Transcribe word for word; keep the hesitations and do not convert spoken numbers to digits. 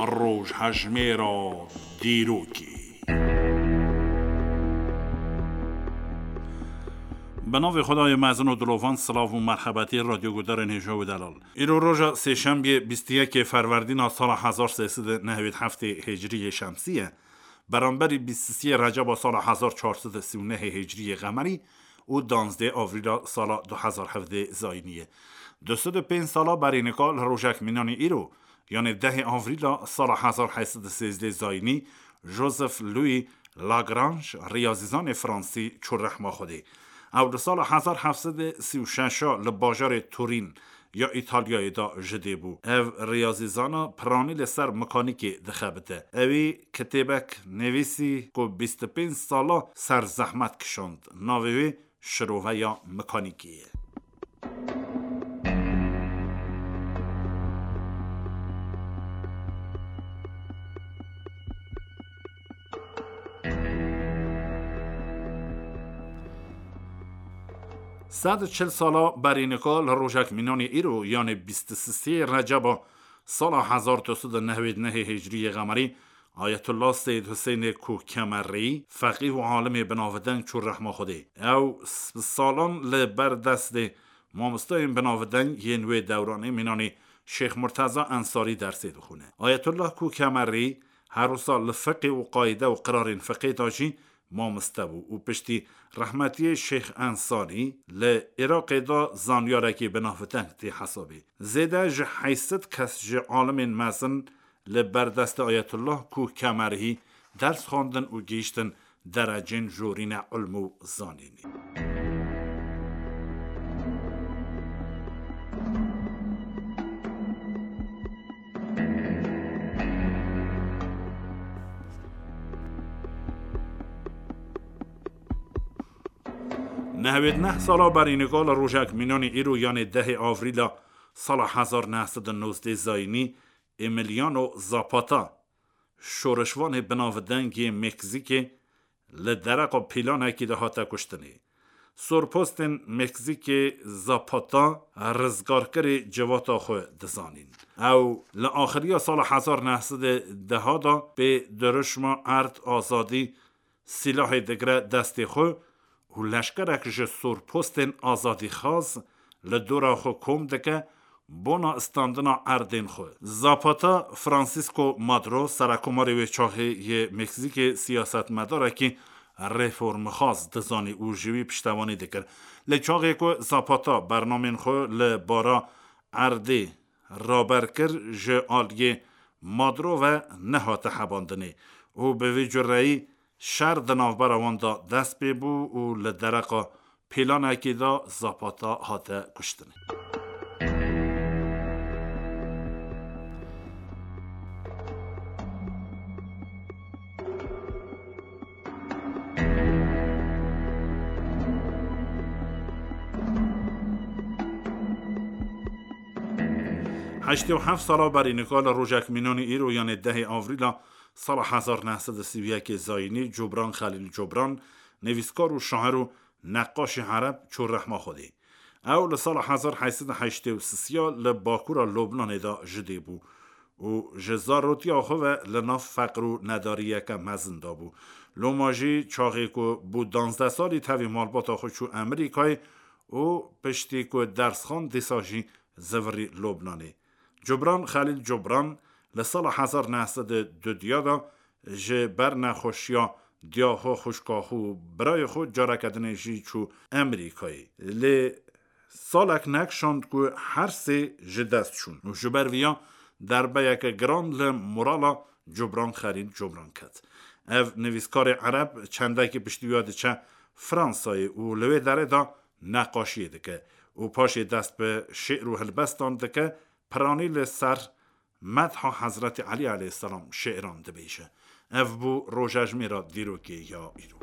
Rojhejmêra dîrokê. Bi navê Xwedayê mezin û dilovan, silav û merhebetî radyogudarên hêja û delal. Îro roja sêşembiyê bîst û yekê Ferwerdîna sala hezar sê sed û nehwêd heftê Hicriyê Şemsî ye. Beramberî bîst û sê Receba sala hezar çar sed û sî û nehê Hicriyê Qemerî û danzdê Avrîla sala du hezar hevdê Zayînî ye. Du sed û pênc sala berî nika li rojek mînanî îro, yanê dehê Avrîla sala hezar heyt sed û sêzdê Zayînî, Joseph Louis Lagrange, riyazîzanê fransî, çû rehma Xwedê. Ew li sala hezar heft sed û sî û şeş li bajarê Turîn ya Îtalyayê de ji dê bû. Ev riyazîzana piranî li ser mekanîkê dixebite. Ewî kitêbek nivîsî ku bîst û pênc sala ser zehmet kişand. Navê wê Şiroveya Mekanîkê ye. Sed û çil sala berî nika li rojek mînanê îro, yanê bîst û sê Receba sala hezar du sed û nehwêd nehê Hicriyê Qemerî, Ayetullah Seyyid Huseyinê Kukemerî, feqîh û alimê binavdeng, çû rehma Xwedê. Ew s-, salan li ber destê mamosteyên binavdeng yên wê dewranê mînanî Şêx Murteza Ensarî dersê dixwîne. Ayetullah Kukemerî her wisa li fiqê û qayde û qirarên fiqê de jî mamoste bû û piştî rehmetiyê Şêx Ensarî li Iraqê de zanyarekî binavdeng tê hesabê. Zêde ji heyt sed kes ji alimên mezin li ber destê Ayetullah Kukemerî ders xwendin û gihîştin derecên jorîne ilm û zanînê. Nehwêd neh sala berî nika li rojek mînanî îro, yanê dehê Avrîla sala hezar neh sed û nozdê Zayînî, Emiliano Zapata, şoreşvanê binavdeng yê Meksîkê, li dereqa pîlanekî de hate kuştinê. Sorpostên Meksîkê Zapata rizgarkirê civata xwe dizanîn. Ew li axiriya sala hezar neh sed û deh de pê dirûşma erd azadî sîlahê digire destê xwe û leşkerek ji sorpostên azadîxwaz li dora xwe kom dike bona standina erdên xwe. Zapata Francisco Maduro, serekomarê wê çaxê yê Meksîkê, siyasetmedarekî reformxwaz dizanî û ji wî piştevanî dikir. Lê çaxê ku Zapata bernamên xwe li bara erdê raber kir, ji aliyê Maduro ve nehate hebandinê û bi vî cureyî şer di navbera wan de dest pê bû û li dereqa pîlanekî de Zapata hate kuştinê. Heştê û heft sala berî nika li rojek mînanî îro, yanê dehê Avrîla sala hezar neh sed û sî û yekê Zayînî, Cobran Xelîl Cobran, nivîskar û şair û neqaşê ereb, çû rehma Xwedê. Ew li sala hezar heyt sed û heştê û sisiya li bakûra Lubnanê de ji dê bû û ji zarotiya xwe ve li nav feqir û nedariyeke mezin de bû. Loma jî çaxê ku bû danzdeh salî tevî malbata xwe çû Amerîkayê û piştî ku ders xwend dîsa jî zivirî Lubnanê. Cobran Xelîl Cobran li sala hezar neh sed û dudiya de ji ber nexweşiya diya xwe, xwişka xwe û birayê xwe careke dinê jî çû Amerîkayê. Lê salek nekişand ku her sê ji dest çûn û ji ber viya derbeyeke giran li morala Cobran Xelîl Cobran ket. Ev nivîskarê ereb çendekî piştî wî diçe Fransayê û li wê derê de neqaşiyê dike û paşê dest bi şi'r û helbestan dike, piranî li ser medha Hezretî Elî aleyhisselam şi'ran dibêje. Ev bû rojejmêra dîrokê ya îro.